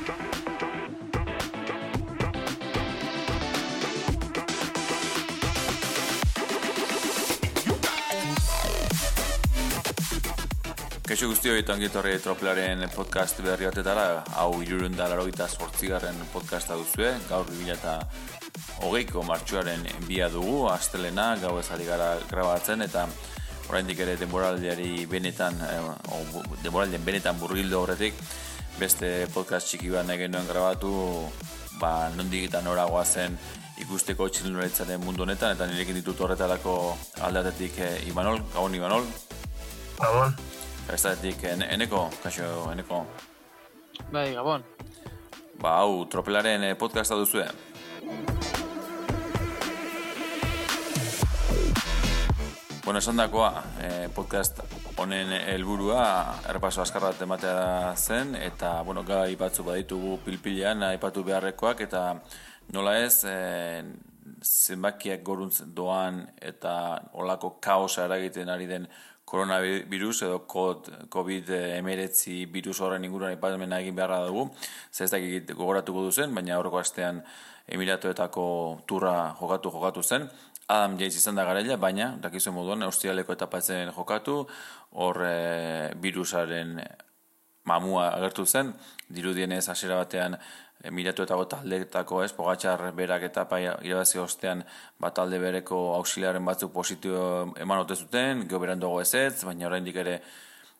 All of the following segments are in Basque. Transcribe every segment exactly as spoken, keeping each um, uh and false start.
Kaixo guztioi eta ongi etorri Tropelaren podcast berri batetara, hau hirurehun eta laurogeita zortzigarren podcasta duzue, gaur bi mila hogeiko martxoaren bia dugu, astelena, gau ezari gara grabatzen eta oraindik ere denboraldiari benetan, eh, denboraldien benetan burgildo horretik, beste podcast txiki bat nahi genuen grabatu, ba, nondik eta noragoa zen ikusteko txirrindularitzaren mundu honetan, eta nirekin ditut horretarako aldatetik eh, Imanol, gabon Imanol. Gabon. Estatik, eneko, kaixo, eneko. Bai, gabon. Ba, hau, Tropelaren podcasta duzue. Bueno, esan dakoa, eh, podcast honen helburua errepaso azkar bat ematea zen, eta, bueno, gai batzu baditugu pilpilean, aipatu beharrekoak, eta nola ez, eh, zenbakiak goruntz doan, eta olako kaosa eragiten ari den koronavirus edo covid hemeretzi virus horren inguruan aipamena egin beharra dugu. Zer ez dakit gogoratuko duzen, baina aurreko astean Emiratuetako turra jokatu jokatu zen. Adam Yates izan da garaila, baina dakizuen moduan Australiako etapatzen jokatu, hor e, virusaren mamua agertu zen, dirudienez hasiera batean Emiratuetako taldeetako ez, Pogačar berak etapa irabazi ostean bat talde bereko auxiliaren batzuk positibo eman ote zuten, gero beranduago ezetz, baina oraindik ere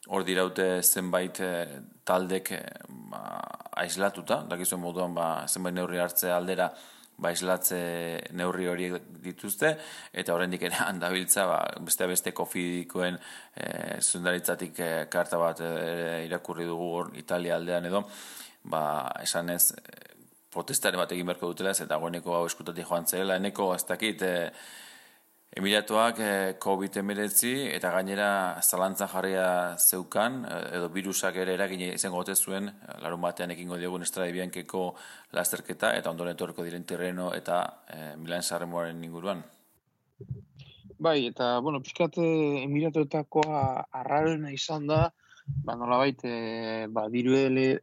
hor diraute zenbait eh, taldek eh, ba, aislatuta, dakizuen moduan ba, zenbait neurri hartze aldera ba, aislatze neurri horiek dituzte, eta oraindik ere handabiltza ba, beste beste kofidikoen eh, zundaritzatik eh, karta bat eh, irakurri dugu hor Italia aldean edo, ba, esan ez, protestaren bat egin beharko dutela, eta goeneko hau eskutatik joan zela, eneko, ez dakit, e, Emiratuak e, covid hemeretzi eta gainera zalantzan jarria zeukan, edo virusak ere eragin izango ote zuen, larun batean ekingo diogun Estrade Biancheko lasterketa, eta ondoren etorriko diren Tirreno eta e, Milan Sanremoaren inguruan. Bai, eta, bueno, pixkat Emiratuetakoa arraroena izan da, ba, nolabait, e,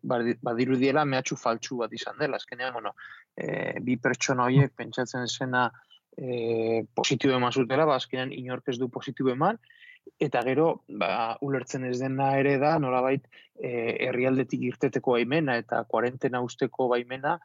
badirudiela mehatxu faltsu bat izan dela. Azkenean, bueno, e, bi pertsona horiek pentsatzen zena e, positibo eman zutela, ba, azkenean inork ez du positibo eman, eta gero, ba, ulertzen ez dena ere da, nolabait, e, herrialdetik irteteko baimena eta kuarentena usteko baimena,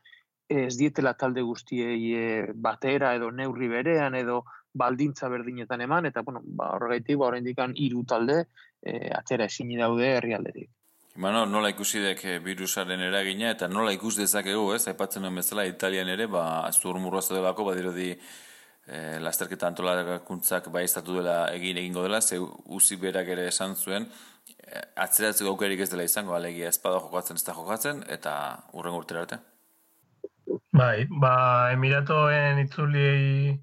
ez dietela talde guztiei e, batera edo neurri berean edo baldintza berdinetan eman, eta bueno, ba, horregaitik, ba, oraindik hiru talde e, atera ezin daude herrialdetik. Imano, nola ikusi dek virusaren eragina, eta nola ikus dezakegu, ez? Aipatzen nuen bezala, Italian ere, ba, zurmurroa zedelako, badirudi e, lasterketa antolakuntzak baiztatu dela egin egingo dela, ze uzi berak ere esan zuen, e, atzeratzeko aukerik ez dela izango, alegia espada jokatzen ez da jokatzen, eta urren urtera arte. Bai, ba, Emiratoen itzuliei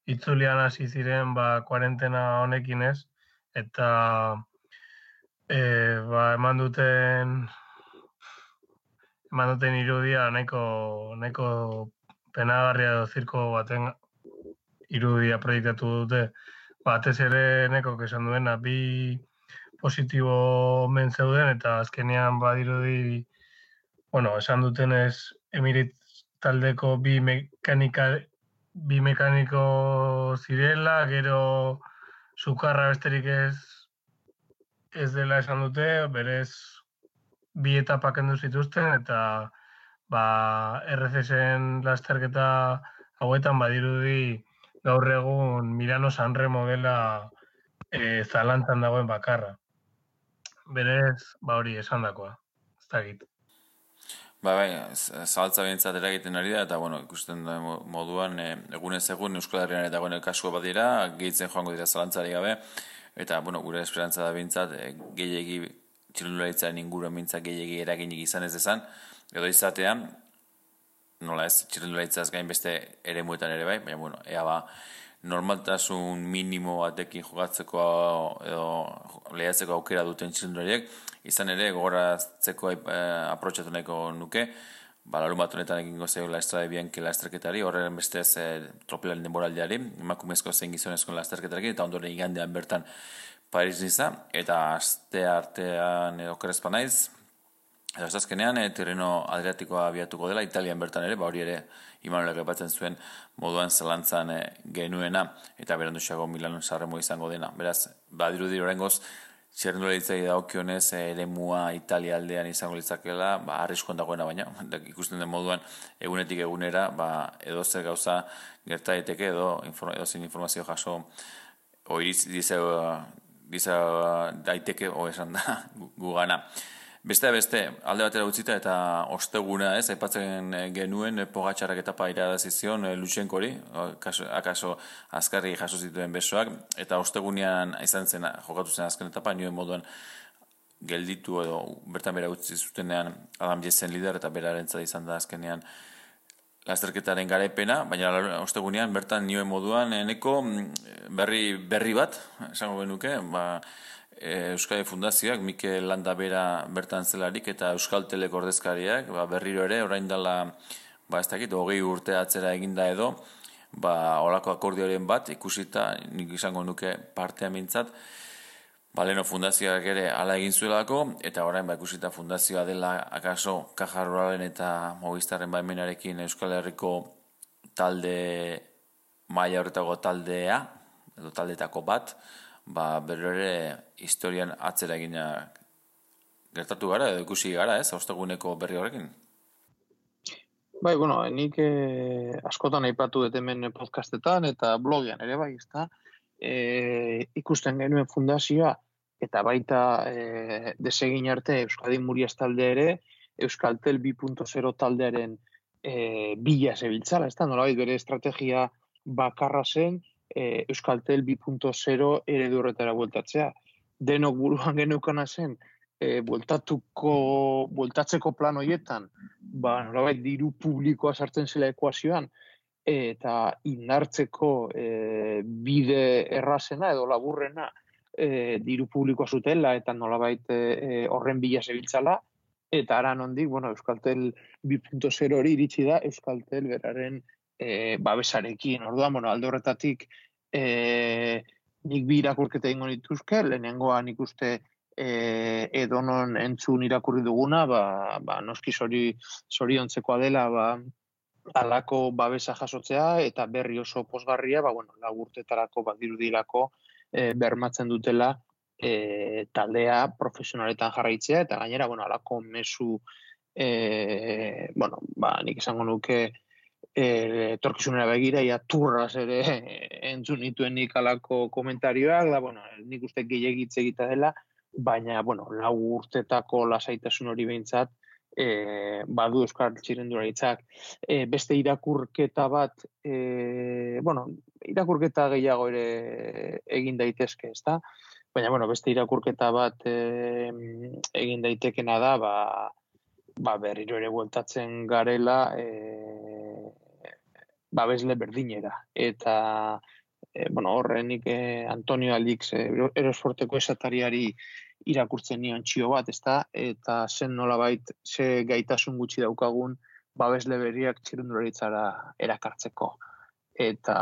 itzulian hasi ziren ba kuarentena honekin ez, eta e, ba, eman duten eman duten irudia nahiko nahiko penagarria edo zirko baten irudia proiektatu dute, batez ere neko esan duena bi positibo men zeuden, eta azkenean badirudi, bueno, esan dutenez Emirit taldeko bi mekanika bi mekaniko zirela, gero sukarra besterik ez ez dela esan dute, berez bi etapa kendu zituzten, eta ba, R C S-en lasterketa hauetan badirudi gaur egun Milano Sanremo dela e, zalantzan dagoen bakarra. Berez, ba hori esandakoa, ez dakit. Ba, bai, zabaltza behintzat eragiten ari da, eta, bueno, ikusten da moduan, e, egunez egun Euskal Herrian eta guen kasua bat dira, gehitzen joango dira zalantzari gabe, eta, bueno, gure esperantza da behintzat, e, gehiagi, txirrindularitzaren inguruan behintzat gehiagi eraginik izan ez dezan, edo izatean, nola ez, txirrindularitzaz gain beste ere muetan ere bai, baina, bueno, ea ba, normaltasun minimo batekin jokatzeko edo lehiatzeko aukera duten txirrindulariek, izan ere gogoratzeko eh, aprotxatu nahiko nuke, ba, larun bat honetan egingo zegoela Estrade Bianchi lasterketari, horren bestez eh, Tropelaren denboraldiari, emakumezko zein gizonezko lasterketari, eta ondoren igandean bertan Paris Niza, eta aste artean okerrezpa naiz, Eta azkenean, e, Tirreno Adriatikoa abiatuko dela, Italian bertan ere, ba hori ere, Imanolek aipatzen zuen moduan zelantzan e, genuena, eta beranduxago Milanon Sanremo izango dena. Beraz, badirudi oraingoz, txirrindularitzari dagokionez eremua Italia aldean izango litzakela, ba, arriskoan dagoena baina, ikusten den moduan egunetik egunera, ba, edo zer gauza gerta daiteke edo, edo zein informazio jaso oiriz diza, diza daiteke, o esan da, gugana. Beste beste, alde batera utzita eta osteguna ez, aipatzen genuen Pogačarrak etapa irabazi zion Lutsenkori, akaso azkarri jaso zituen besoak, eta ostegunean izan zen, jokatu zen azken etapa, nioen moduan gelditu edo bertan bera utzi zutenean Adam Yates lider eta berarentzat izan da azkenean lasterketaren garaipena, baina ostegunean bertan nioen moduan eneko berri, berri bat, esango genuke, ba, Euskadi Fundazioak, Mikel Landa bera bertan zelarik eta Euskaltelek ordezkariak, ba, berriro ere, orain dela, ba, ez dakit, hogei urte atzera eginda edo, ba, olako akordioaren bat, ikusita, nik izango nuke partea mintzat, ba, leno Fundazioak ere ala egin zuelako, eta orain, ba, ikusita Fundazioa dela, akaso, Caja Ruralen eta Movistarren baimenarekin Euskal Herriko talde, maila horretako taldea, edo taldetako bat, ba, berro ere historian atzera egina gertatu gara, edo ikusi gara, ez, osteguneko berri horrekin? Bai, bueno, nik eh, askotan aipatu dut hemen podcastetan eta blogean ere bai, ezta, eh, ikusten genuen fundazioa, eta baita eh, desegin arte Euskadi Murias talde ere, Euskaltel bi puntu zero taldearen eh, bila zebiltzala, ezta, nolabait bere estrategia bakarra zen, Euskaltel bi puntu zero eredu horretara bueltatzea. Denok buruan geneukana zen, e, bueltatuko, bueltatzeko plan horietan, ba, nolabait diru publikoa sartzen zela ekuazioan, eta indartzeko e, bide errazena edo laburrena e, diru publikoa zutela, eta nolabait e, horren bila zebiltzala, eta ara nondik, bueno, Euskaltel bi puntu zero hori iritsi da, Euskaltel beraren E, babesarekin. Orduan, bueno, alde horretatik e, nik bi irakurketa egingo dituzke, lehenengoa nik uste e, edonon entzun irakurri duguna, ba, ba, noski zori, zoriontzekoa dela, ba, alako babesa jasotzea, eta berri oso posgarria, ba, bueno, lagurtetarako, badirudilako, e, bermatzen dutela e, taldea profesionaletan jarraitzea, eta gainera, bueno, alako mezu, e, bueno, ba, nik esango nuke, etorkizunera begira, ia turraz ere entzun nituen nik alako komentarioak, da, bueno, nik uste gehiagitze egita dela, baina, bueno, lau urtetako lasaitasun hori behintzat, e, badu Euskal Txirrindularitzak. E, beste irakurketa bat, e, bueno, irakurketa gehiago ere egin daitezke, ezta? Baina, bueno, beste irakurketa bat e, egin daitekena da, ba, ba berriro ere bueltatzen garela, e, babesle berdinera. Eta, e, bueno, horrenik e, Antonio Alix e, Erosforteko esatariari irakurtzen nion txio bat, ezta? Eta zen nolabait, ze gaitasun gutxi daukagun babesle berriak txirrindularitzara erakartzeko. Eta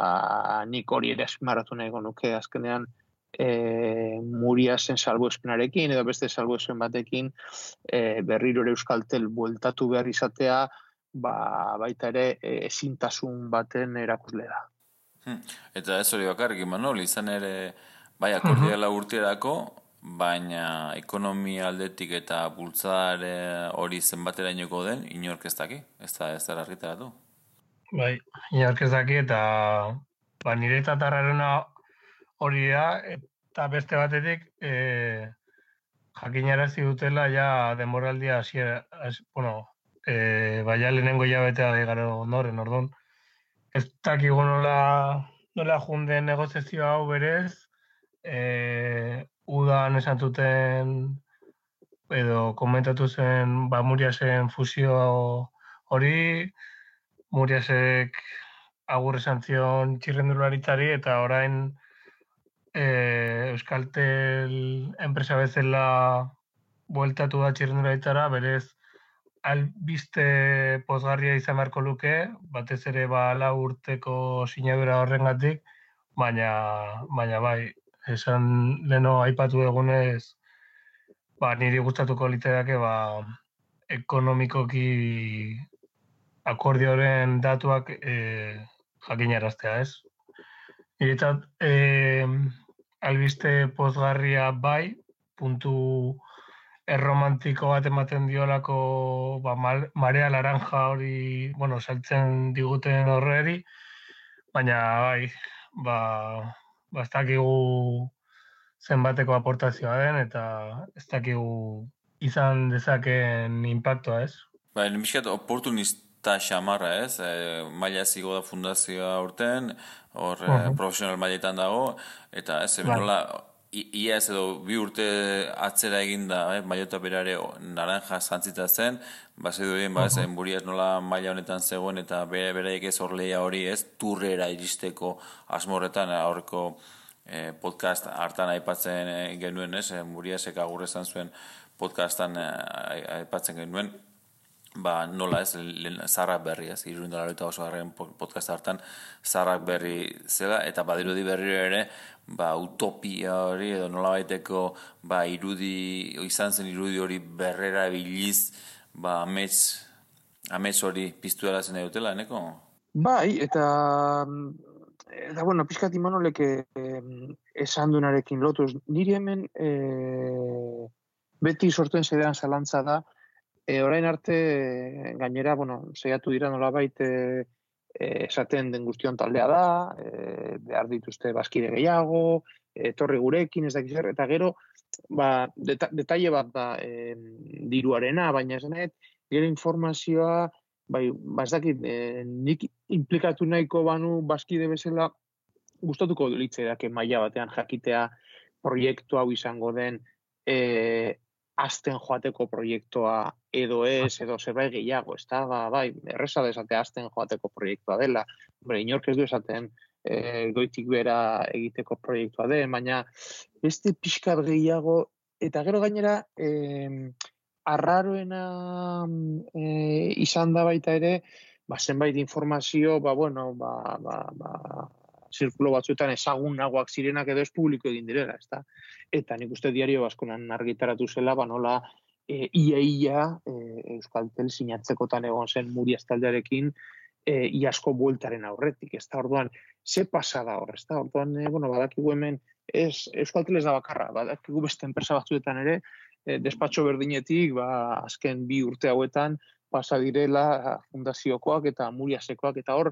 nik hori ere azpimarratu nahiko nuke azkenean e, Muriasen salbuespenarekin edo beste salbuespen batekin e, berriro ere Euskaltel bueltatu behar izatea, ba, baita ere ezintasun baten erakusle da. Hmm. Eta ez hori bakarrik, Imanol, izan ere bai akordiala urterako, baina ekonomia aldetik eta bultzare hori zenbaterainoko den, inork ez daki, ez da ez da argitaratu. Bai, inork ez daki eta ba, nire tatarrarena hori da, eta beste batetik e, jakinarazi dutela ja denboraldia hasiera, bueno, E, baina lehenengo jabetea da gara ondoren, orduan. Ez dakigu nola, nola junden negoziazio hau berez, e, udan esan duten, edo komentatu zen, ba, Muriasen fusio hori, Muriasek agur esan zion txirrindularitzari, eta orain e, Euskaltel enpresa bezala bueltatu da txirrindularitzara, berez, albiste pozgarria izan beharko luke, batez ere ba lau urteko sinadura horrengatik, baina baina bai, esan leno aipatu egunez, ba niri gustatuko liteke ba ekonomikoki akordioren datuak e, jakinaraztea, ez? Niretzat, e, albiste pozgarria bai, puntu erromantiko bat ematen diolako ba, marea laranja hori, bueno, saltzen diguten horreri, baina bai, ba, ba ez dakigu zenbateko aportazioa den, eta ez dakigu izan dezakeen impactoa, ez? Ba, nimiskat oportunista xamarra, ez? E, maila zigo da fundazioa urten, hor uh -huh. profesional mailetan dago, eta ez, bai. Nola, ia ez edo bi urte atzera eginda, eh? Mailota berare naranja zantzita zen, base duen, ba, zen buriaz nola maila honetan zegoen, eta bere beraiek ez hor lehia hori, ez, turrera iristeko asmorretan, aurreko eh, podcast hartan aipatzen eh, genuen, ez, buriazek agur esan zuen podcastan eh, aipatzen genuen, ba, nola ez, zarrak berri, ez, irurindalaroita oso garren podcast hartan, zarrak berri zela, eta badirudi berri ere, ba, utopia hori, edo nola baiteko, ba, irudi, izan zen irudi hori berrera biliz, ba, amets, amets hori piztu dela zen edutela, eneko? Bai, eta, eta bueno, pixkat Imanolek eh, esan duenarekin lotuz, niri hemen eh, beti sortuen zedean zalantza da, E, orain arte, gainera, bueno, saiatu dira nolabait e, esaten den guztion taldea da, e, behar dituzte bazkide gehiago, etorri gurekin, ez dakiz, eta gero, ba, deta, detaile bat da e, diruarena, baina esanet, gero informazioa, bai, ba, ez dakit, e, nik implikatu nahiko banu bazkide bezala, gustatuko litzaidak maila batean jakitea proiektu hau izango den, e, azten joateko proiektua edo ez, edo zerbait gehiago, ez da, ba, bai, erreza desatea azten joateko proiektua dela, Bre, inork ez du esaten e, goitik bera egiteko proiektua den, baina beste pixkat gehiago, eta gero gainera, e, arraroena e, izan da baita ere, ba, zenbait informazio, ba, bueno, ba, ba, ba, zirkulo batzuetan ezagunagoak zirenak edo ez publiko egin direla, ez da? Eta nik uste diario baskonan argitaratu zela, ba nola e, ia-ia e, Euskaltel sinatzekotan egon zen Muriaz taldearekin e, iasko bueltaren aurretik, ez da? Orduan, ze pasada hor, ez da? Orduan, e, bueno, badakigu hemen, ez, Euskaltel ez da bakarra, badakigu beste enpresa batzuetan ere, e, despatxo berdinetik, ba, azken bi urte hauetan, pasa direla fundaziokoak eta Muriazekoak, eta hor,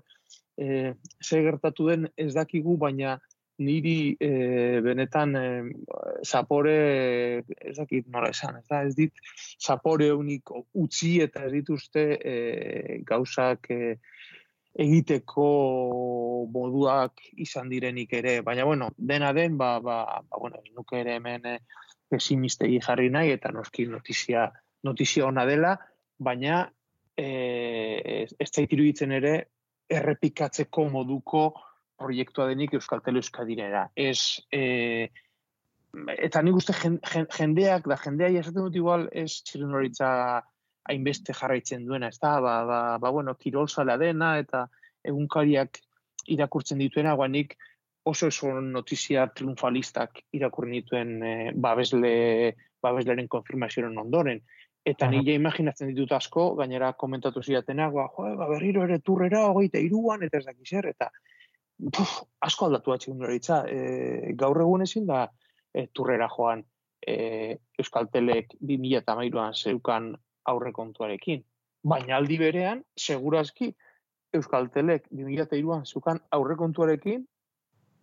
e, ze gertatu den ez dakigu, baina niri e, benetan e, zapore, ez dakit nola esan, ez da, ez dit, zapore unik utzi eta ez dituzte e, gauzak e, egiteko moduak izan direnik ere, baina, bueno, dena den, ba, ba, ba bueno, nuke ere hemen e, pesimistegi jarri nahi, eta noski notizia, notizia ona dela, baina e, ez zait iruditzen ere errepikatzeko moduko proiektua denik Euskaltel Euskadirera. Ez, e, eta nik uste jendeak, da jendeai esaten dut igual, ez txirrinoritza hainbeste jarraitzen duena, ez da, ba, ba, ba bueno, kirolzalea dena, eta egunkariak irakurtzen dituena, guanik oso oso notizia triunfalistak irakurri dituen e, babesle, babesleren konfirmazioaren ondoren. Eta nire imaginatzen ditut asko, gainera komentatu zidatenak, ba, jo, ba, berriro ere turrera, hogeita iruan, eta ez dakiz er, eta puf, asko aldatu bat txirrinoritza. E, gaur egun ezin da e, turrera joan e, Euskaltelek bi mila hamairuan zeukan aurrekontuarekin. Baina aldi berean, segurazki, Euskaltelek bi mila hiruan zeukan aurrekontuarekin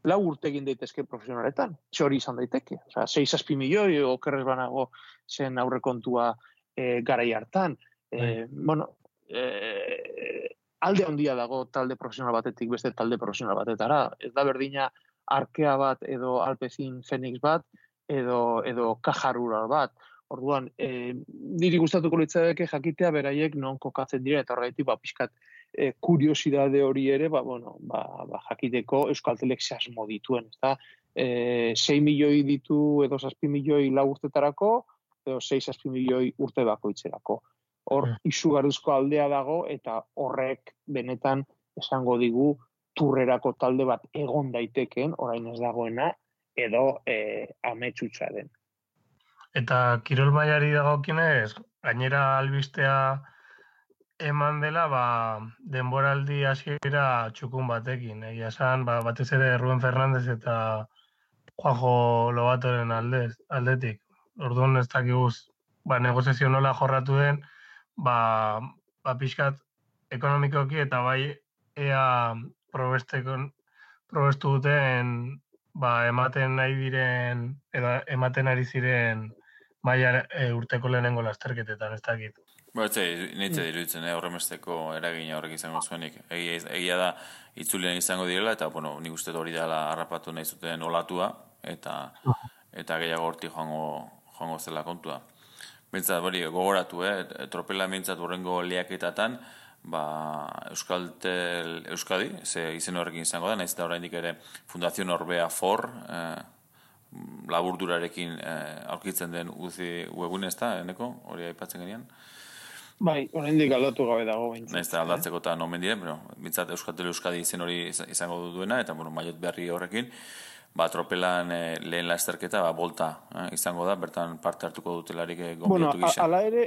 lau urte egin daitezke profesionaletan. Txori izan daiteke. Osea, sei zazpi milioi okerrez banago zen aurrekontua e, garai hartan. E, bueno, e, alde handia dago talde profesional batetik beste talde profesional batetara. Ez da berdina Arkea bat edo Alpecin Phoenix bat edo edo Caja Rural bat. Orduan, e, niri gustatuko litzateke jakitea beraiek non kokatzen dira eta horregatik ba pixkat e, kuriosidade hori ere, ba bueno, ba, ba jakiteko Euskaltelek ze asmo dituen, ezta? Eh, sei milioi ditu edo zazpi milioi lau urtetarako edo sei zazpi milioi urte bakoitzerako. Hor mm. izugarrizko aldea dago eta horrek benetan esango digu turrerako talde bat egon daiteken, orain ez dagoena, edo e, ametsutsa den. Eta kirol mailari dagokionez, gainera albistea eman dela, ba, denboraldi hasiera txukun batekin. Egia esan, ba, batez ere Rubén Fernández eta Juanjo Lobatoren aldez, aldetik. Orduan ez dakiguz, ba, negoziazio nola jorratu den, ba, ba pixkat ekonomikoki eta bai ea probestekon, probestu duten ba, ematen nahi diren, edo ematen ari ziren maila e, urteko lehenengo lasterketetan, ez dakit. Ba, ez nintze diruditzen, eh, horremesteko eragina horrek izango zuenik. Egia, egia da, itzulian izango direla, eta, bueno, nik uste hori dela harrapatu nahi zuten olatua, eta eta gehiago horti joango, joango zela kontua. Bintzat, hori, gogoratu, eh, tropela bintzat horrengo lehiaketatan, ba, Euskaltel Euskadi, ze izen horrekin izango da, nahiz eta oraindik ere Fundación Orbea For, eh, laburdurarekin eh, aurkitzen den uzi webune ez da, eneko, hori aipatzen genian. Bai, oraindik aldatu gabe dago bintzat. Nahiz eta aldatzeko eta nomen diren, pero bintzat Euskaltel Euskadi izen hori izango duena, eta bueno, maiot berri horrekin, ba, tropelan eh, lehen lasterketa, ba, bolta eh, izango da, bertan parte hartuko dutelarik eh, gonbidatu bueno, gisa. Ala ere,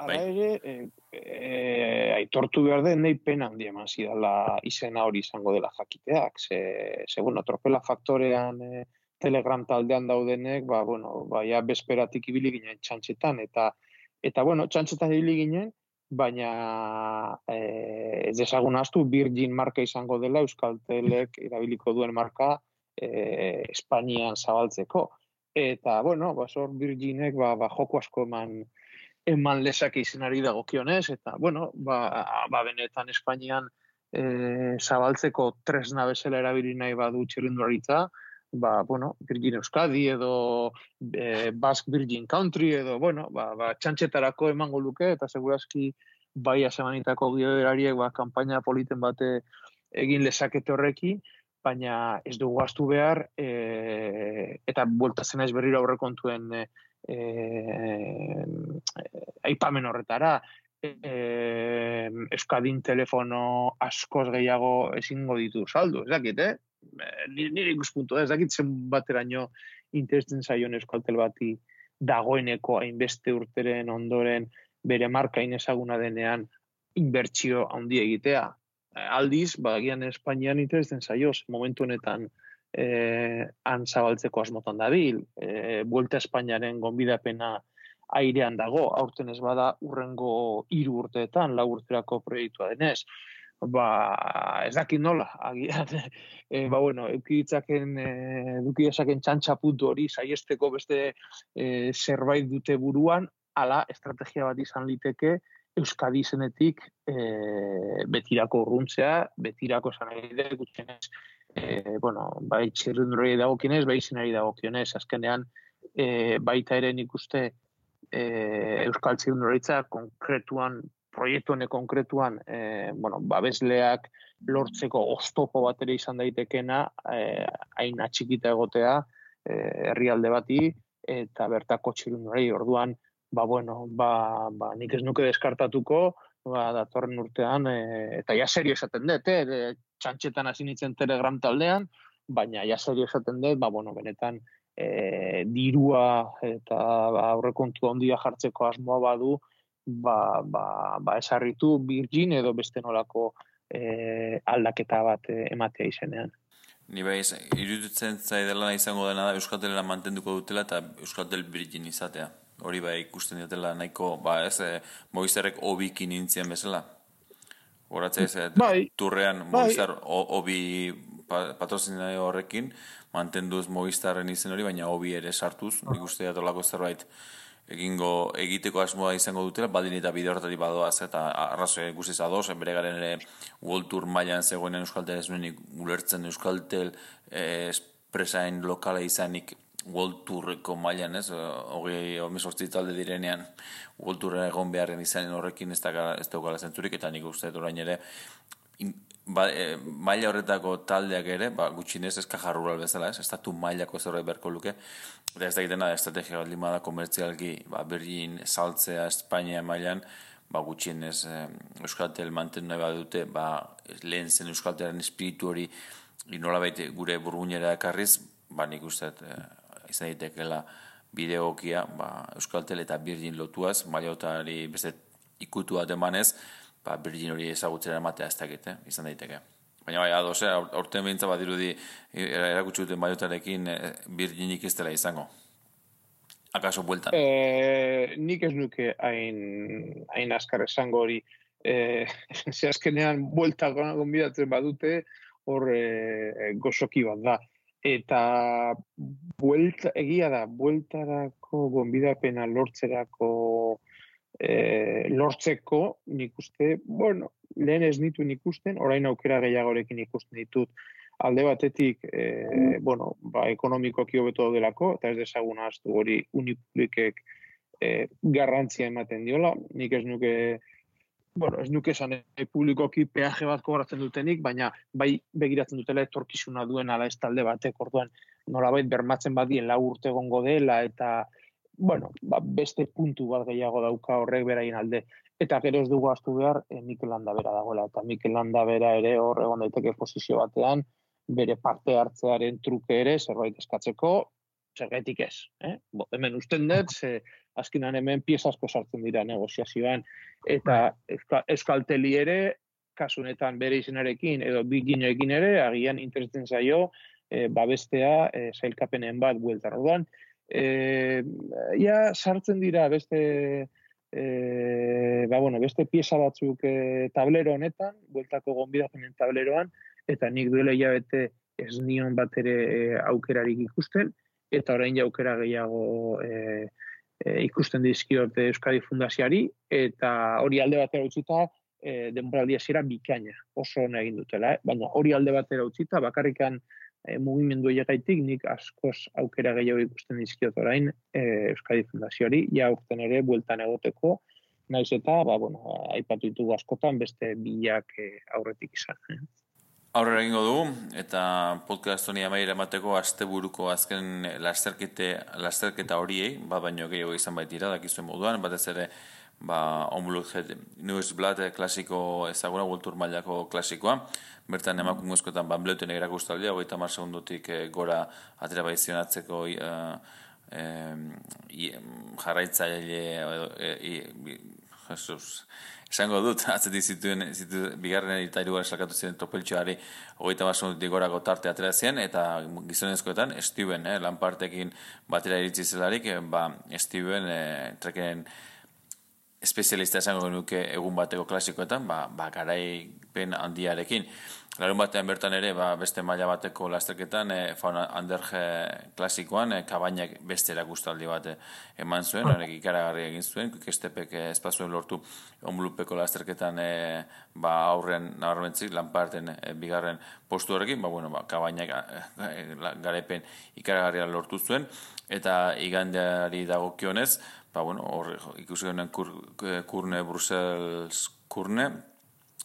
ala ere, eh, eh, aitortu behar den, nahi pena handi eman zidala izena hori izango dela jakiteak. Ze, ze bueno, tropela faktorean eh, Telegram taldean daudenek, ba, bueno, ba, ja bezperatik ibili ginen txantxetan, eta, eta bueno, txantxetan ibili ginen, baina eh, ez desagun astu Virgin marka izango dela, Euskaltelek erabiliko duen marka, Eh, Espainian zabaltzeko. Eta, bueno, basor Virginek ba, ba, joko asko eman, eman lezake izenari dagokionez, eta, bueno, ba, ba benetan Espainian eh, zabaltzeko tresna bezala erabili nahi badu txirrindularitza, ba, bueno, Virgin Euskadi edo eh, Basque Virgin Country edo, bueno, ba, ba, txantxetarako emango luke, eta segurazki bai asemanitako gidoerariek ba, kanpaina politen bate egin lezakete horreki, baina ez dugu astu behar, e, eta bueltatzen naiz berriro aurrekontuen e, e, aipamen horretara, e, Euskadin telefono askoz gehiago ezingo ditu saldu, ez dakit, eh? Nire ikuspuntu, ez dakit zen bateraino interesten zaion Euskaltel bati dagoeneko hainbeste urteren ondoren bere marka inezaguna denean inbertsio handi egitea. Aldiz, bagian Espainian interesten zaioz, momentu honetan eh, han zabaltzeko asmotan dabil, eh, Vuelta Espainiaren gonbidapena airean dago, aurten ez bada urrengo hiru urteetan, lau urterako proiektua denez. Ba, ez dakit nola, agian, e, ba, bueno, eukiditzaken, e, edukidezaken txantxapuntu hori, saiesteko beste e, zerbait dute buruan, ala estrategia bat izan liteke, Euskadi izenetik e, betirako urruntzea, betirako esan nahi gutxienez, e, bueno, bai txirrindulari dagokionez, bai izenari dagokionez, azkenean e, baita ere nik uste e, Euskal txirrindularitza konkretuan, proiektu honek konkretuan, e, bueno, babesleak lortzeko oztopo bat ere izan daitekena, e, hain atxikita egotea e, herrialde bati, eta bertako txirrindulari orduan, ba, bueno, ba, ba, nik ez nuke deskartatuko, ba, datorren urtean, e, eta ja serio esaten dut, eh, txantxetan hasi nintzen Telegram taldean, baina ja serio esaten dut, ba, bueno, benetan, e, dirua eta ba, aurrekontu handia jartzeko asmoa badu, ba, ba, ba esarritu Virgin edo beste nolako e, aldaketa bat e, ematea izenean. Ni bai, iruditzen zaidela izango dena da Euskaltela mantenduko dutela eta Euskaltel Virgin izatea. Hori bai ikusten diatela nahiko, ba ez, e, Movistarrek obikin nintzen bezala. Horatzea ez, bai, turrean Movistar bai. Obi patrozinaio horrekin, mantenduz Movistarren izen hori, baina obi ere sartuz, oh. Ikuste datolako zerbait egingo egiteko asmoa izango dutela, baldin eta bide horretari badoaz, eta arrazoi guztiz adoz, bere garen ere World Tour mailan zegoenen Euskaltel ez nuenik ulertzen Euskaltel eh, espresain lokala izanik World Tourreko mailan, ez, hogei omesortzi talde direnean World Tourren egon beharren izanen horrekin ez daukala zentzurik, eta nik uste orain ere in, ba, e, maila horretako taldeak ere, ba, gutxinez ez kaja rural bezala, ez, estatu mailako zerbait beharko luke, eta ez da egiten da, estrategia bat limada komertzialki, ba, Berlin saltzea Espainia mailan, ba, gutxinez e, Euskaltel mantendu nahi badute, ba, lehen zen Euskaltelaren espiritu hori nolabait gure burguinera ekarriz, ba, nik uste e, izan daitekela bideokia, ba, Euskaltel eta Virgin lotuaz, Mariotari beste ikutu bat emanez, ba, Virgin hori ezagutzera ematea ez dakit, eh? Izan daiteke. Baina bai, ados, eh? Aurten behintza bat dirudi erakutsi duten Mariotarekin Virginik ez dela izango. Akaso bueltan? E, nik ez nuke hain, hain askar esango hori. E, ze azkenean buelta gonbidatzen badute, hor e, gozoki bat da. Eta buelta, egia da, bueltarako gonbidapena lortzerako e, lortzeko nik uste, bueno, lehen ez nitu nik usten, orain aukera gehiagorekin ikusten ditut. Alde batetik, e, bueno, ba, ekonomikoki hobeto daudelako, eta ez dezagun ahaztu hori Unipublikek e, garrantzia ematen diola. Nik ez nuke, bueno, ez nuke esan e, publikoki peaje bat kobratzen dutenik, baina bai begiratzen dutela etorkizuna duen ala ez talde batek, orduan nolabait bermatzen badien lau urte egongo dela, eta, bueno, ba, beste puntu bat gehiago dauka horrek beraien alde. Eta gero ez dugu ahaztu behar, e, Mikel Landabera dagoela, eta Mikel Landabera ere hor egon daiteke posizio batean, bere parte hartzearen truke ere zerbait eskatzeko, zergaitik ez. Eh? Bo, hemen usten dut, ze azkenan hemen pieza asko sartzen dira negoziazioan, eta Euskalteli ere, kasunetan bere izenarekin, edo Virginekin ere, agian interesten zaio, e, babestea e, sailkapenen bat bueltar. Orduan, e, ja sartzen dira beste... E, ba, bueno, beste pieza batzuk e, tablero honetan, bueltako gonbidapenen tableroan, eta nik duela hilabete ez nion bat ere e, aukerarik ikusten, eta orain aukera gehiago e, e, ikusten dizkiot Euskadi Fundazioari, eta hori alde batera utzita e, denboraldi hasiera bikaina, oso ona egin dutela, eh? Baina hori alde batera utzita, bakarrikan e, mugimendu egaitik nik askoz aukera gehiago ikusten dizkiot orain e, Euskadi Fundazioari, ja urten ere bueltan egoteko, naiz eta, ba, bueno, aipatu ditugu askotan beste bilak e, aurretik izan. Eh? Aurrera egingo dugu, eta podcast honi amaiera emateko asteburuko azken lasterketa horiei, bat baino gehiago izan baitira, dakizuen moduan, batez ere, ba, Onblood Newsblad klasiko ezaguna, World mailako klasikoa, bertan emakumezkoetan banbleuten erakustaldia, hogeita hamar segundotik gora atera baizionatzeko uh, eh, jarraitzaile, eh, Jesus, esango dut, atzetik zituen, zituen bigarren eta hirugarren salkatu ziren tropeltxoari hogeita hamar segundotik gorako tarte atera zien, eta gizonezkoetan Steven, eh, Lampartekin batera iritsi zelarik, eh, ba, Steven eh, trekenen espezialista esango genuke egun bateko klasikoetan, ba, ba garaipen handiarekin. Larun batean bertan ere, ba, beste maila bateko lasterketan, e, Faun Anderge klasikoan, e, Kabainak beste erakustaldi bat eman zuen, horrek ikaragarri egin zuen, Kestepek espazuen lortu Onblupeko lasterketan e, ba, aurren nabarmentzik, Lamparten e, bigarren postu horrekin, ba, bueno, ba, Kabainak e, garaipen ikaragarria lortu zuen, eta igandeari dagokionez, ba, bueno, hor ikusi honen kur, kurne, Brussels kurne,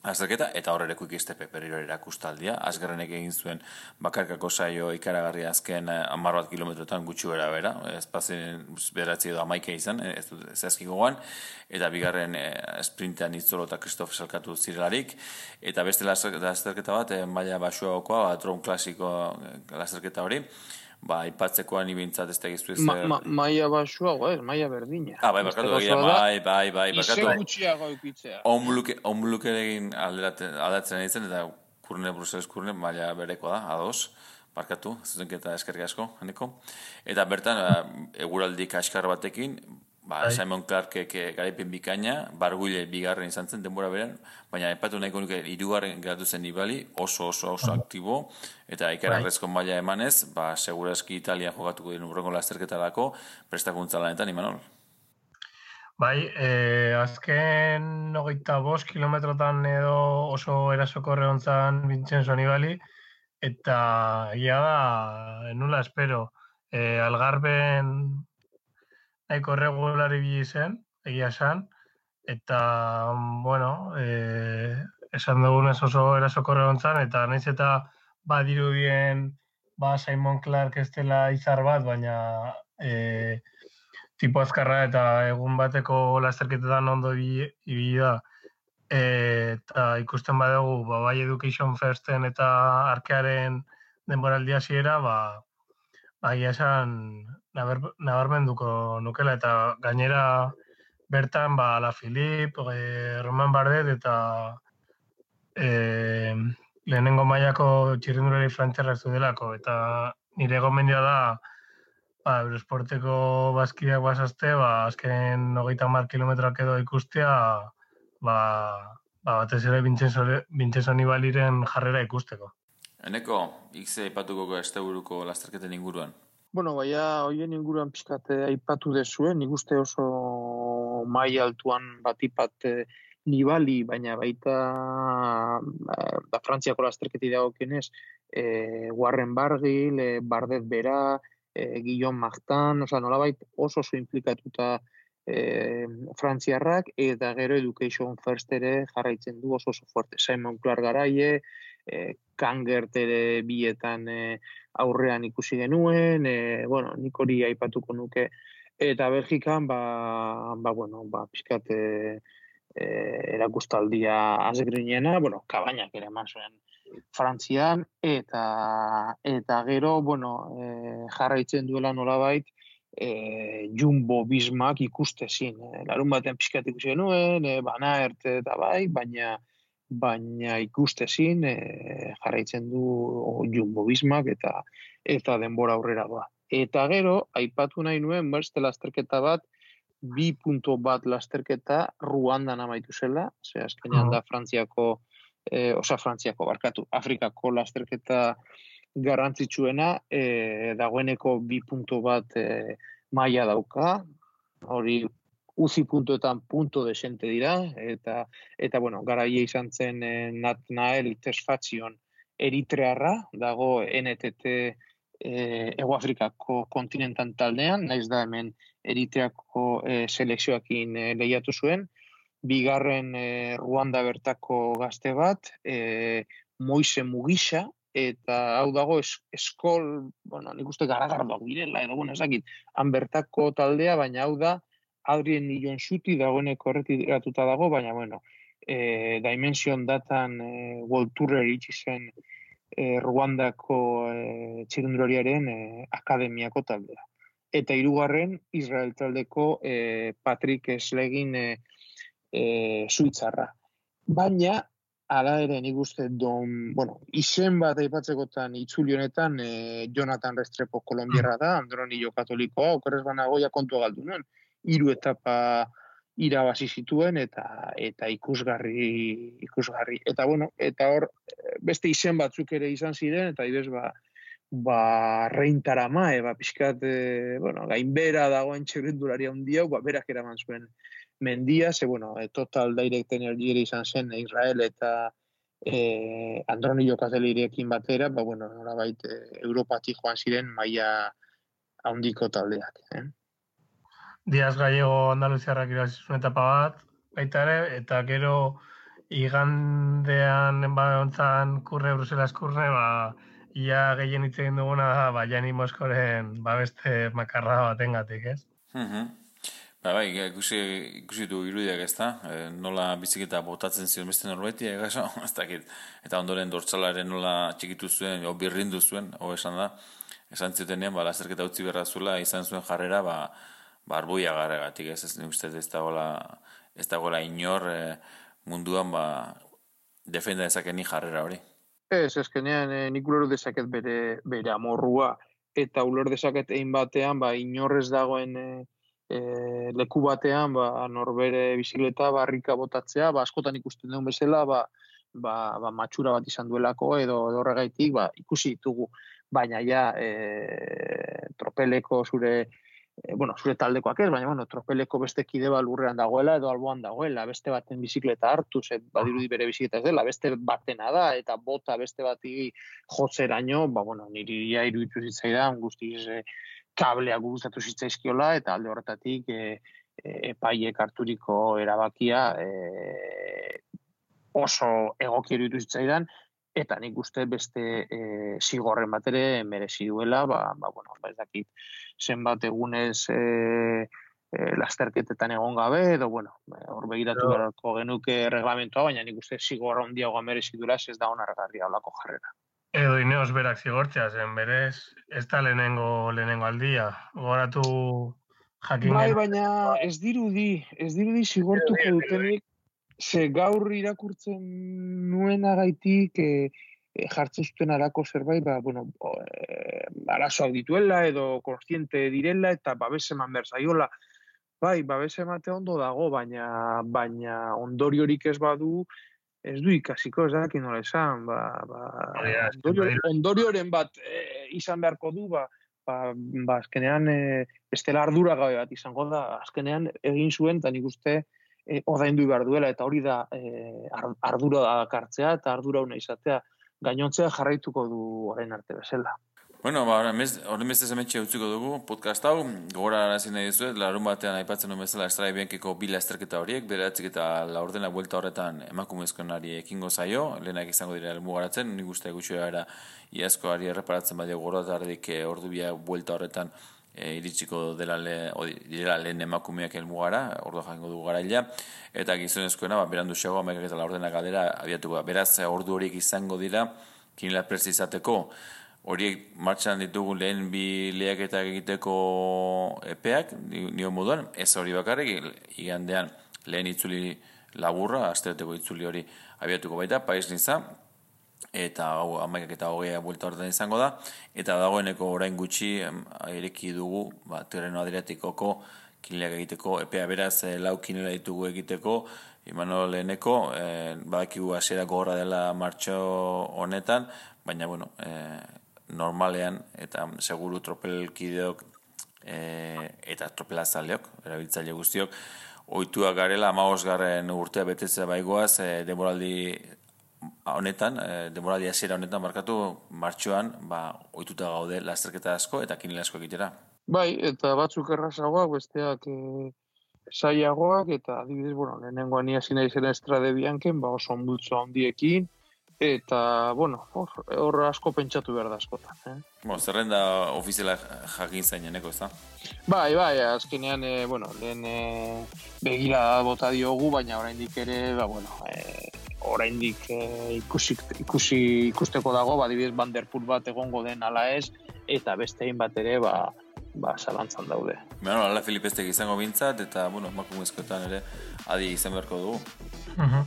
azterketa, eta hor ere Quick-Step berriro erakustaldia. Azgarrenek egin zuen bakarkako saio ikaragarria azken hamar bat kilometrotan gutxi bera bera, espazien beratzi edo amaike izan, ez dut zehazki gogoan, eta bigarren e, sprintean Itzolo eta Kristof salkatu zirelarik, eta beste lasterketa bat, e, maila basuagokoa, ba, Drone klasiko lasterketa hori, ba, ipatzekoan ibintzat ez tegizu ez... Ma, ma, maia basuago, ez, maia berdina. Ah, bai, barkatu, egia, bai, bai, bai, barkatu. Ize gutxiago eukitzea. Onblukeregin aldatzen ditzen, eta kurne, Bruseles kurne, maila bereko da, ados, barkatu, zuzenketa eskerrik asko, haneko. Eta bertan, eguraldi kaskar batekin, ba, Simon Clarkek garaipen bikaina, Barguile bigarren izan zen, denbora beran, baina epatu nahiko nuke hirugarren geratu zen Nibali, oso oso oso aktibo, eta ikararrezko maila emanez, ba, segurazki Italia jokatuko dien urrengo lasterketarako, prestakuntza lanetan, Imanol? Bai, eh, azken hogeita bost kilometrotan edo oso erasoko hontzan Vincenzo Nibali, eta ia da, nula espero, eh, Algarben nahiko regulari bili zen, egia esan, eta, bueno, e, esan dugunez oso erasokorre hontzan, eta nahiz eta badirudien ba Simon Clark ez dela izar bat, baina e, tipo azkarra eta egun bateko lasterketetan ondo ibili da, e, eta ikusten badugu, ba, bai Education Firsten eta arkearen denboraldi hasiera, ba, Baina esan nabar, nabarmenduko nukela, eta gainera bertan, ba, Ala Filip, e, Roman Bardet, eta e, lehenengo mailako txirrindulari frantziarra ez delako, eta nire gomendia da, ba, Eurosporteko bazkideak bazazte, ba, azken hogeita hamar kilometroak edo ikustea, ba, ba batez ere Vincenzo Nibaliren jarrera ikusteko. Eneko, ikze aipatuko asteburuko lasterketen inguruan? Bueno, baina hoien inguruan pixkate aipatu dezuen, nik uste oso mai altuan batipat Nibali, baina baita da Frantziako lasterketi dagokienez, e, Warren Barguil, e, Bardet bera, e, Guillaume Martin, oza, nolabait oso oso implikatuta e, Frantziarrak, eta gero Education First ere jarraitzen du oso oso fuerte. Simon Clark garaie, e, Kangert ere bietan e, aurrean ikusi genuen, e, bueno, nik hori aipatuko nuke, eta Belgikan, ba, ba bueno, ba, pixkat e, e, erakustaldia azgrinena, bueno, kabainak ere eman zuen Frantzian, eta eta gero, bueno, e, jarraitzen duela nolabait, e, Jumbo Vismak ikustezin. E, larun batean pixkat ikusi genuen, e, Van Aert eta bai, baina baina ikustezin e, jarraitzen du Jumbo Vismak eta eta denbora aurrera doa. Eta gero, aipatu nahi nuen beste lasterketa bat, bi punto bat lasterketa Ruandan amaitu zela, ze azkenean da Frantziako, e, osa Frantziako barkatu, Afrikako lasterketa garrantzitsuena, e, dagoeneko bi punto bat e, maila dauka, hori uzi puntuetan punto desente dira, eta, eta bueno, garaia izan zen e, Nathanael Tesfatzion Eritrearra, dago N T T e, Ego Afrikako kontinentan taldean, naiz da hemen Eritreako e, selekzioakin e, lehiatu zuen, bigarren e, Ruanda bertako gazte bat, e, Moise Mugisha, eta hau dago es, eskol, bueno, nik uste garagardoak direla, edo, bueno, ezakit, han bertako taldea, baina hau da, Adrien Nillon Zuti dagoeneko erretiratuta dago, baina, bueno, e, Dimension Datan e, World Tour iritsi zen e, Ruandako e, txirrindulariaren e, akademiako taldea. Eta hirugarren Israel taldeko e, Patrick Slegin e, e, Suitzarra. Baina, ala ere nik uste don, bueno, izen bat aipatzekotan itzuli honetan e, Jonathan Restrepo kolonbiarra da, Andronillo katolikoa, okerrez banagoia kontua galdu nuen. Hiru etapa irabazi zituen eta eta ikusgarri ikusgarri eta bueno, eta hor beste izen batzuk ere izan ziren eta ibez ba ba Reintarama, ba pixkat e, bueno, gainbera dagoen txirrindulari handi hau, ba berak eraman zuen mendia, ze bueno, e, Total Direct Energy ere izan zen Israel eta e, Andronillo Katelirekin batera, ba bueno, nolabait e, Europatik joan ziren maila handiko taldeak, eh? Diaz Gallego Andaluziarrak irabazizun etapa bat, baita ere, eta gero igandean enbaontzan kurre, Bruselas kurre, ba, ia gehien hitz egin duguna da, ba, Jani Moskoren ba, beste makarra batengatik, ez? Mm-hmm. Ba, bai, ikusi, ikusi du irudiak ez da, e, nola biziketa botatzen zion beste norbaiti, egaso, ez dakit, eta ondoren dortsalaren nola txikitu zuen, o birrindu zuen, o esan da, esan zutenean, ba, lasterketa utzi berra zuela, izan zuen jarrera, ba, barbuia garregatik, ez, ez uste ez dagoela, ez dagoela inor e, munduan ba, defenda dezakeni jarrera hori. Ez, ezkenean e, nik ulor dezaket bere, bere amorrua, eta ulor dezaket egin batean, ba, inorrez dagoen e, e, leku batean, ba, norbere bizikleta barrika botatzea, ba, askotan ikusten duen bezala, ba, ba, ba, matxura bat izan duelako, edo horregaitik, ba, ikusi ditugu, baina ja, e, tropeleko zure, E, bueno, zure taldekoak ez, baina, bueno, tropeleko beste kide bat lurrean dagoela edo alboan dagoela, beste baten bizikleta hartu, zet badirudi bere bizikleta ez dela, beste batena da, eta bota beste bati jotzeraino, ba, bueno, niri ia iruditu zitzaidan, guztiz e, kableak gustatu zitzaizkiola, eta alde horretatik e, e, epaiek harturiko erabakia e, oso egoki iruditu zitzaidan, eta nik uste beste e, zigorren bat ere merezi duela, ba, ba, bueno, ba, ez dakit, zenbat egunez e, e, lasterketetan egon gabe, edo, bueno, hor begiratu beharko genuke reglamentoa, baina nik uste zigorra handiagoa merezi duela, ez da onargarria olako jarrera. Edo Ineos berak zigortzea zen, berez, ez da lehenengo, lehenengo aldia. Goratu jakin Bai, genuen. baina ez dirudi, ez dirudi zigortuko dutenik, ze gaur irakurtzen nuenagaitik e, e, jartzen zuten arako zerbait, ba, bueno, e, arazoak dituela edo kontziente direla eta babes eman behar zaiola. Bai, babes emate ondo dago, baina baina ondoriorik ez badu, ez du ikasiko, ez dakit nola esan, ba, ba, Ja, ondorio, ondorioren bat e, izan beharko du, ba, ba, ba azkenean e, bestela ardura gabe bat izango da, azkenean egin zuen, eta nik uste e, ordaindu behar duela, eta hori da e, ardura da kartzea, eta ardura una izatea, gainontzea jarraituko du orain arte bezala. Bueno, ba, horren beste zemetxe utziko dugu podcast hau, gogora arazi nahi dizuet, larun batean aipatzen duen bezala Strade Biancheko bi lasterketa horiek, bederatzik eta laurdena buelta horretan emakumezkoenari ekingo zaio, lehenak izango dira helmugaratzen, nik uste gutxi gara iazkoari erreparatzen badio gorotardik e, ordu bia buelta horretan e, iritsiko dela, le, o, dela lehen emakumeak helmugara, ordu jango dugu garaila, eta gizonezkoena, ba, berandu xago, amaikak eta laurdena galdera abiatuko da. Beraz, ordu horiek izango dira, kinela presi izateko, horiek martxan ditugu lehen bi lehiaketak egiteko epeak, nio moduan, ez hori bakarrik, igandean lehen itzuli laburra, astereteko itzuli hori abiatuko baita, Pais Niza, eta hau amaikak eta hogeia buelta horretan izango da, eta dagoeneko orain gutxi ireki dugu, ba, Tirreno Adriatikoko kineleak egiteko epea, beraz, lau kinela ditugu egiteko, Imanol leheneko, eh, badakigu hasiera gogorra dela martxo honetan, baina, bueno, eh, normalean eta seguru tropelkideok e, eta tropelazaleok, erabiltzaile guztiok, ohituak garela hamabosgarren urtea betetzea baigoaz e, denboraldi honetan, e, denboraldi hasiera honetan markatu martxoan, ba, ohituta gaude lasterketa asko eta kinela asko egitera. Bai, eta batzuk errazagoak, besteak e, zailagoak, eta adibidez, bueno, lehenengoan ia zina izan Strade Bianchen, ba, oso onbultzo handiekin, eta, bueno, hor, hor asko pentsatu behar da askotan. Eh? Bueno, zerrenda ofiziala jakin zaineneko, ez da? Bai, bai, azkenean, e, bueno, lehen e, begira bota diogu, baina oraindik ere, ba, bueno, e, oraindik e, ikusi, ikusi, ikusteko dago, ba, adibidez, Van der Poel bat egongo den ala ez, eta bestein bat ere, ba, ba, zalantzan daude. Bueno, ala Filipestek izango bintzat, eta, bueno, emakumezkoetan ere adi izan beharko dugu. Uh-huh.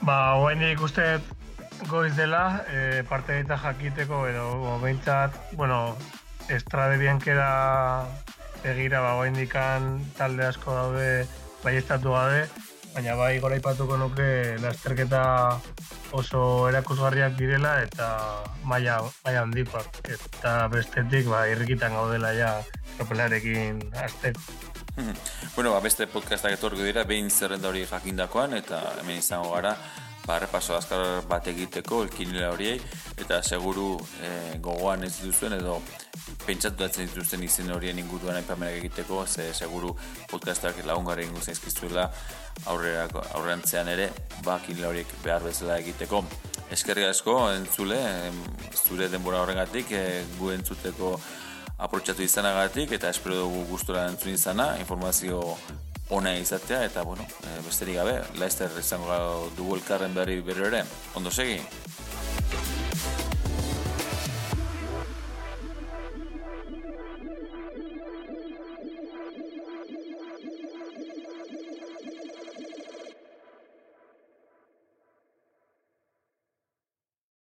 Ba, hoen ikuste goiz dela, e, parte eta jakiteko, edo behintzat, bueno, Strade Bianchera begira, ba, hoen dikan talde asko daude baiestatu gabe, baina bai gora ipatuko nuke lasterketa oso erakusgarriak direla eta maila maila handikoak, eta bestetik ba, irrikitan gaudela ja tropelarekin hasteko. Bueno, ba, beste podcastak etorriko dira, behin zerrenda hori jakindakoan, eta hemen izango gara, ba, repaso azkar bat egiteko, elkinela horiei, eta seguru eh, gogoan ez dituzuen, edo pentsatu datzen dituzten izen horien inguruan aipamenak egiteko, ze seguru podcastak lagungarri ingo zaizkizuela aurrerantzean ere, ba, kinela horiek behar bezala egiteko. Eskerrik asko, entzule, zure denbora horrengatik, e, gu entzuteko aprotxatu izanagatik, eta espero dugu gustora entzun izana, informazio ona izatea, eta bueno, besterik gabe, laizter izango dugu elkarren berri berri ere. Ondo segi?